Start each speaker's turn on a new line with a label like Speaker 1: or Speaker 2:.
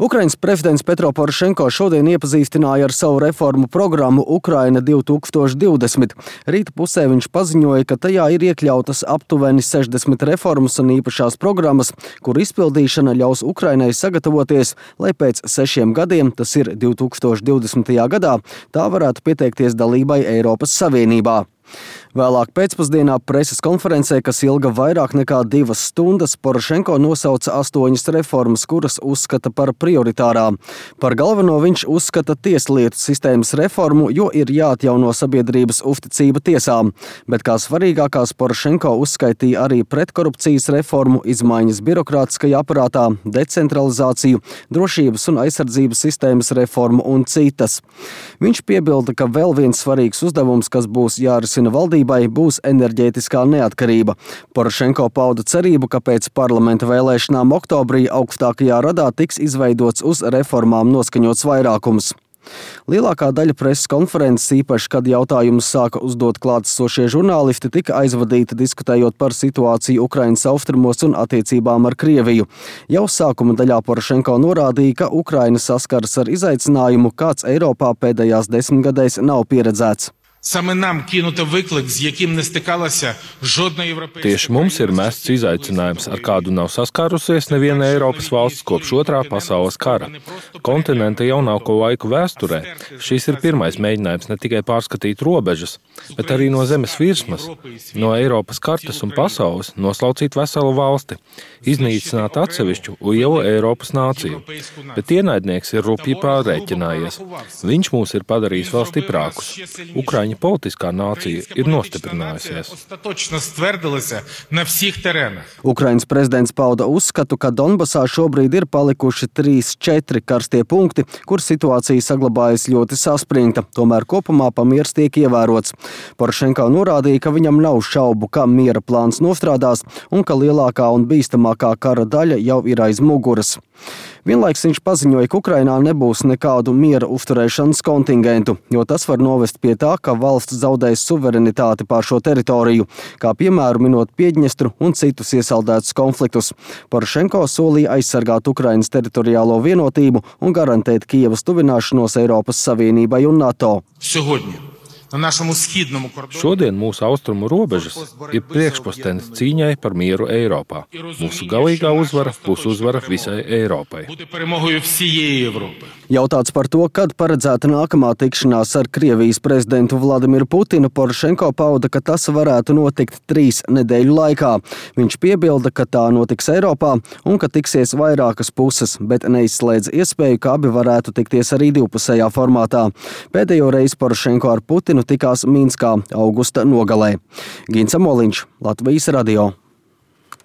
Speaker 1: Ukrainas prezidents Petro Porošenko šodien iepazīstināja ar savu reformu programmu Ukraina 2020. Rīta pusē viņš paziņoja, ka tajā ir iekļautas aptuveni 60 reformas un īpašās programmas, kur izpildīšana ļaus Ukrainai sagatavoties, lai pēc 6 gadiem, tas ir 2020. gadā, tā varētu pieteikties dalībai Eiropas Savienībā. Vēlāk pēcpusdienā preses konferencē, kas ilga vairāk nekā 2 stundas, Porošenko nosauca 8 reformas, kuras uzskata par prioritārām. Par galveno viņš uzskata tieslietu sistēmas reformu, jo ir jāatjauno sabiedrības uzticība tiesām. Bet kā svarīgākās Porošenko uzskaitīja arī pretkorupcijas reformu, izmaiņas birokrātiskajā aparātā, decentralizāciju, drošības un aizsardzības sistēmas reformu un citas. Viņš piebilda, ka vēl viens svarīgs uzdevums, kas būs jārisina valdībai, būs enerģētiskā neatkarība. Porošenko pauda cerību, ka pēc parlamenta vēlēšanām oktobrī augstākajā radā tiks izveidots uz reformām noskaņots vairākums. Lielākā daļa preses konferences, īpaši, kad jautājumus sāka uzdot klātesošie žurnālisti, tika aizvadīta diskutējot par situāciju Ukrainas austrumos un attiecībām ar Krieviju. Jau sākuma daļā Porošenko norādīja, ka Ukraina saskaras ar izaicinājumu, kāds Eiropā pēdējās 10 gadēs nav pieredzēts.
Speaker 2: Tieši mums ir mests izaicinājums, ar kādu nav saskārusies neviena Eiropas valsts kopš Otrā pasaules kara. Kontinenta jaunāko laiku vēsturē šis ir pirmais mēģinājums ne tikai pārskatīt robežas, bet arī no zemes virsmas, no Eiropas kartes un pasaules noslaucīt veselu valsti, iznīcināt atsevišķu lielu Eiropas nāciju. Bet ienaidnieks ir rupji pārrēķinājies. Viņš mūs ir padarījis vēl stiprākus. Ukraiņa politiskā nācija ir nostiprinājusies.
Speaker 1: Ukrainas prezidents pauda uzskatu, ka Donbasā šobrīd ir palikuši 3-4 karstie punkti, kur situācija saglabājas ļoti saspringta, tomēr kopumā pamiers tiek ievērots. Porošenko norādīja, ka viņam nav šaubu, ka miera plāns nostrādās un ka lielākā un bīstamākā kara daļa jau ir aiz muguras. Vienlaiks viņš paziņoja, ka Ukrainā nebūs nekādu miera uzturēšanas kontingentu, jo tas var novest pie tā, ka valsts zaudēs suverenitāti pār šo teritoriju, kā piemēru minot Piedņestru un citus iesaldētus konfliktus. Porošenko solīja aizsargāt Ukrainas teritoriālo vienotību un garantēt Kijevas tuvināšanos Eiropas Savienībai un NATO.
Speaker 2: Šodien mūsu austrumu robežas ir priekšpostenis cīņai par mieru Eiropā. Mūsu galīgā uzvara būs uzvara visai Eiropai.
Speaker 1: Jautāts par to, kad paredzēta nākamā tikšanās ar Krievijas prezidentu Vladimiru Putinu, Porošenko pauda, ka tas varētu notikt 3 nedēļu laikā. Viņš piebilda, ka tā notiks Eiropā un ka tiksies vairākas puses, bet neizslēdz iespēju, ka abi varētu tikties arī divpusējā formātā. Pēdējo reizi Porošenko ar Putinu tikās Minskā augusta nogalē. Gins Amoliņš, Latvijas radio.